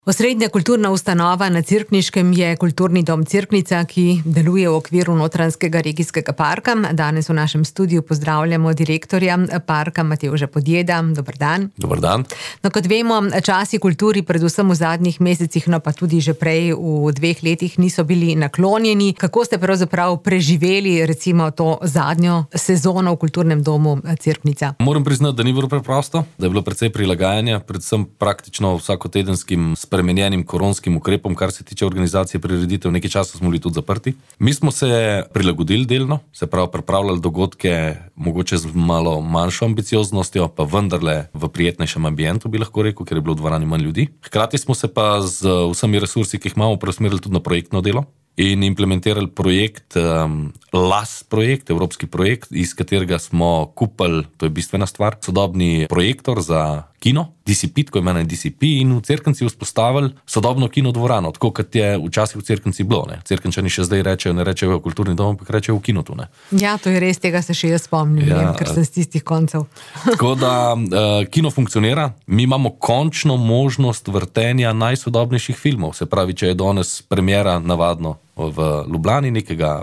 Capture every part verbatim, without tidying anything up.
Osrednja kulturna ustanova na Cerkniškem je Kulturni dom Cerknica, ki deluje v okviru Notranjskega regijskega parka. Danes v našem studiu pozdravljamo direktorja parka Matevža Podjeda. Dober dan. Dober dan. No, kot vemo, časi kulturi, predvsem v zadnjih mesecih, no pa tudi že prej v dveh letih niso bili naklonjeni. Kako ste pravzaprav preživeli recimo to zadnjo sezono v Kulturnem domu Cerknica? Moram priznati, da ni bilo preprosto, da je bilo precej prilagajanja, predvsem praktično vsakotedenskim spremenjenim koronskim ukrepom, kar se tiče organizacije prireditev. Nekaj časa smo bili tudi zaprti. Mi smo se prilagodili delno, se pravi pripravljali dogodke mogoče z malo manjšo ambicioznostjo, pa vendarle v prijetnejšem ambientu, bi lahko rekel, ker je bilo v dvorani manj ljudi. Hkrati smo se pa z vsemi resursi, ki jih imamo, preusmerili tudi na projektno delo in implementirali projekt, um, L A S projekt, evropski projekt, iz katerega smo kupili, to je bistvena stvar, sodobni projektor za kino, D C P, tako imenovan D C P, in v Cerknici vzpostavili sodobno kino dvorano, tako kot je včasih v Cerknici bilo. Ne. Cerkničani še zdaj rečejo, ne rečejo v kulturni dom, ampak rečejo v kinotu. Ne. Ja, to je res, tega se še jaz spomnim, ja, vem, ker sem z tistih koncev. Tako da uh, kino funkcionira, mi imamo končno možnost vrtenja najsodobnejših filmov, se pravi, če je danes premiera navadno v Ljubljani nekega,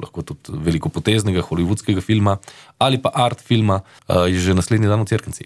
lahko tudi velikopoteznega hollywoodskega filma ali pa art filma, uh, je že naslednji dan v Cerknici.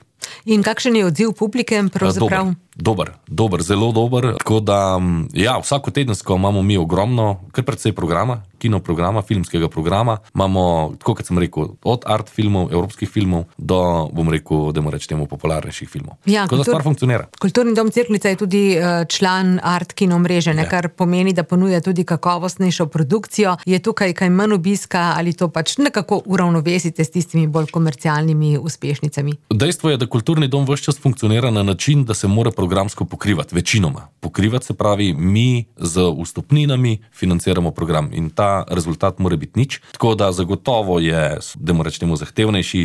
In kakšen je odziv publike pravzaprav? Dober, dober, zelo dober. Tako da, ja, vsakotedensko imamo mi ogromno, kar precej programa, kino programa, filmskega programa. Imamo, tako kot sem rekel, od art filmov, evropskih filmov, do, bom rekel, da moram reči temu, popularnejših filmov. Ja, tako kultur, da stvar funkcionira. Kulturni dom Cerknica je tudi član art kino mreže, ne, kar pomeni, da ponuja tudi kakovostnejšo produkcijo. Je tukaj kaj manj obiska ali to pač nekako uravnovesite s tistimi bolj komercialnimi uspešnicami? Dejstvo je, da Kulturni dom ves čas funkcionira na način, da se mora programsko pokrivati, večinoma. Pokrivati se pravi, mi z vstopninami financiramo program in ta rezultat mora biti nič. Tako da zagotovo je, da moram reči temu, zahtevnejši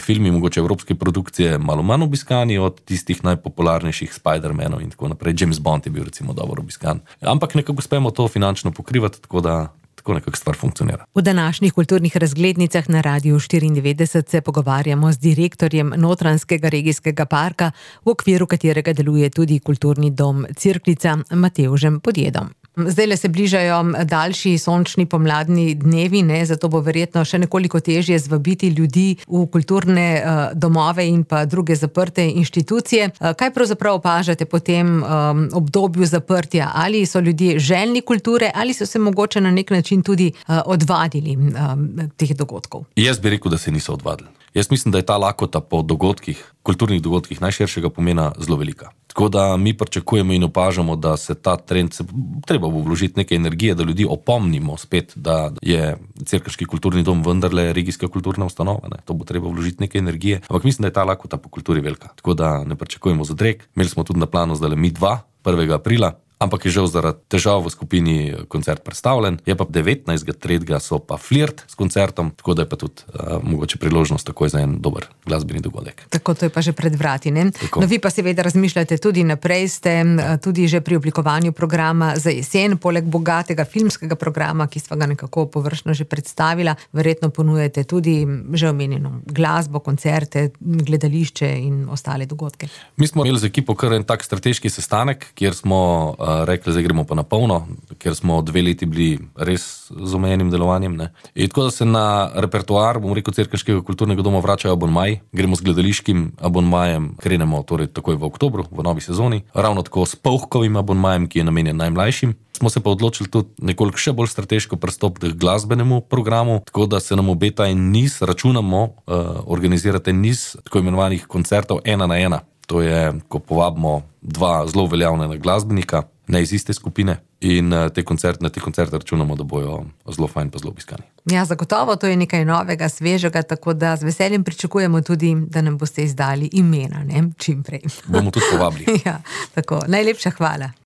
filmi, mogoče evropske produkcije, malo manj obiskani od tistih najpopularnejših Spider-Manov in tako naprej. James Bond je bil recimo dobro obiskan. Ampak nekako uspemo to finančno pokrivati, tako da tako nekako stvar funkcionira. V današnjih kulturnih razglednicah na Radiu štiriindevetdeset se pogovarjamo z direktorjem Notranjskega regijskega parka, v okviru katerega deluje tudi Kulturni dom Cerknica, Matevžem Podjedom. Zdajle se bližajo daljši sončni pomladni dnevi, ne, zato bo verjetno še nekoliko težje zvabiti ljudi v kulturne uh, domove in pa druge zaprte inštitucije. Uh, kaj pravzaprav opažate po tem um, obdobju zaprtja? Ali so ljudje željni kulture ali so se mogoče na nek način tudi uh, odvadili um, teh dogodkov? Jaz bi rekel, da se niso odvadili. Jaz mislim, da je ta lakota po dogodkih, kulturnih dogodkih najširšega pomena zelo velika. Tako da mi pričakujemo in opažamo, da se ta trend, se, treba bo vložiti nekaj energije, da ljudi opomnimo spet, da je Cerkniški kulturni dom vendarle regijska kulturna ustanova. Ne. To bo treba vložiti nekaj energije, ampak mislim, da je ta lakota po kulturi velika. Tako da ne pričakujemo zadreg. Imeli smo tudi na planu zdaj mi dva, prvega aprila, ampak je žal zaradi težav v skupini koncert predstavljen. Je pa devetnajstega tretjega so pa Flirt s koncertom, tako da je pa tudi uh, mogoče priložnost takoj za en dober glasbeni dogodek. Tako, to je pa že pred vrati, ne? No, vi pa seveda razmišljate tudi naprej, ste tudi že pri oblikovanju programa za jesen, poleg bogatega filmskega programa, ki sva ga nekako površno že predstavila, verjetno ponujete tudi že omenjeno glasbo, koncerte, gledališče in ostale dogodke. Mi smo imeli z ekipo kar en tak strateški sestanek, kjer smo uh, rekli, zdaj gremo pa na polno, ker smo dve leti bili res z omejenim delovanjem. Ne. In tako da se na repertoar, bom rekel, Cerkniškega kulturnega doma vračajo abonmaji, gremo z gledališkim abonmajem, krenemo torej takoj v oktobru, v novi sezoni, ravno tako s Polhkovim abonmajem, ki je namenjen najmlajšim. Smo se pa odločili tudi nekoliko še bolj strateško pristopiti k glasbenemu programu, tako da se nam obeta en niz, računamo, uh, organizirate niz tako imenovanih koncertov ena na ena. To je, ko povabimo dva zelo veljavna glasbenika, ne iz iste skupine, in te koncerte, na te koncerte računamo, da bojo zelo fajn pa zelo obiskani. Ja, zagotovo, to je nekaj novega, svežega, tako da z veseljem pričakujemo tudi, da nam boste izdali imena, ne, čim prej. Bomo tudi povabili. Ja, tako, najlepša hvala.